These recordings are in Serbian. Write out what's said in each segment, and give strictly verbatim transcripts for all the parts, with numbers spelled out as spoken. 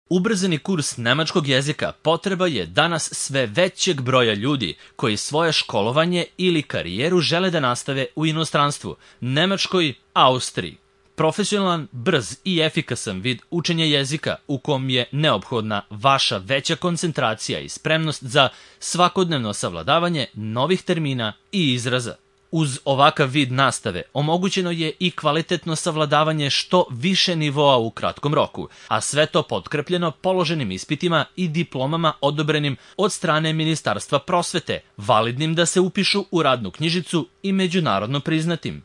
Ubrzani kurs nemačkog jezika potreba je danas sve većeg broja ljudi koji svoje školovanje ili karijeru žele da nastave u inostranstvu, Nemačkoj, Austriji. Profesionalan, brz i efikasan vid učenja jezika u kom je neophodna vaša veća koncentracija i spremnost za svakodnevno savladavanje novih termina i izraza. Uz ovakav vid nastave omogućeno je i kvalitetno savladavanje što više nivoa u kratkom roku, a sve to potkrepljeno položenim ispitima i diplomama odobrenim od strane Ministarstva prosvete, validnim da se upišu u radnu knjižicu i međunarodno priznatim.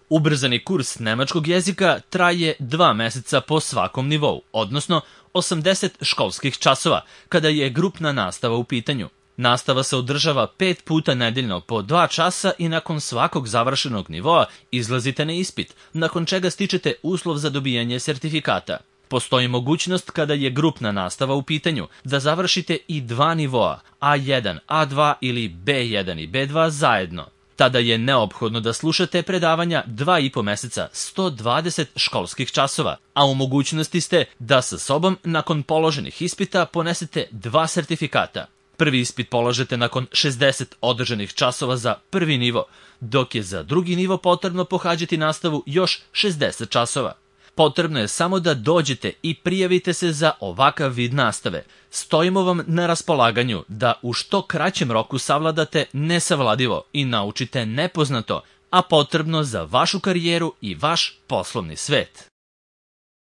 Ubrzani kurs nemačkog jezika traje dva meseca po svakom nivou, odnosno osamdeset školskih časova, kada je grupna nastava u pitanju. Nastava se održava pet puta nedeljno po dva časa i nakon svakog završenog nivoa izlazite na ispit, nakon čega stičete uslov za dobijanje sertifikata. Postoji mogućnost kada je grupna nastava u pitanju da završite i dva nivoa, A jedan, A dva ili B jedan i B dva zajedno. Tada je neophodno da slušate predavanja dva i po meseca, sto dvadeset školskih časova, a u mogućnosti ste da sa sobom nakon položenih ispita ponesete dva sertifikata. Prvi ispit polažete nakon šezdeset održanih časova za prvi nivo, dok je za drugi nivo potrebno pohađati nastavu još šezdeset časova. Potrebno je samo da dođete i prijavite se za ovakav vid nastave. Stojimo vam na raspolaganju da u što kraćem roku savladate nesavladivo i naučite nepoznato, a potrebno za vašu karijeru i vaš poslovni svet.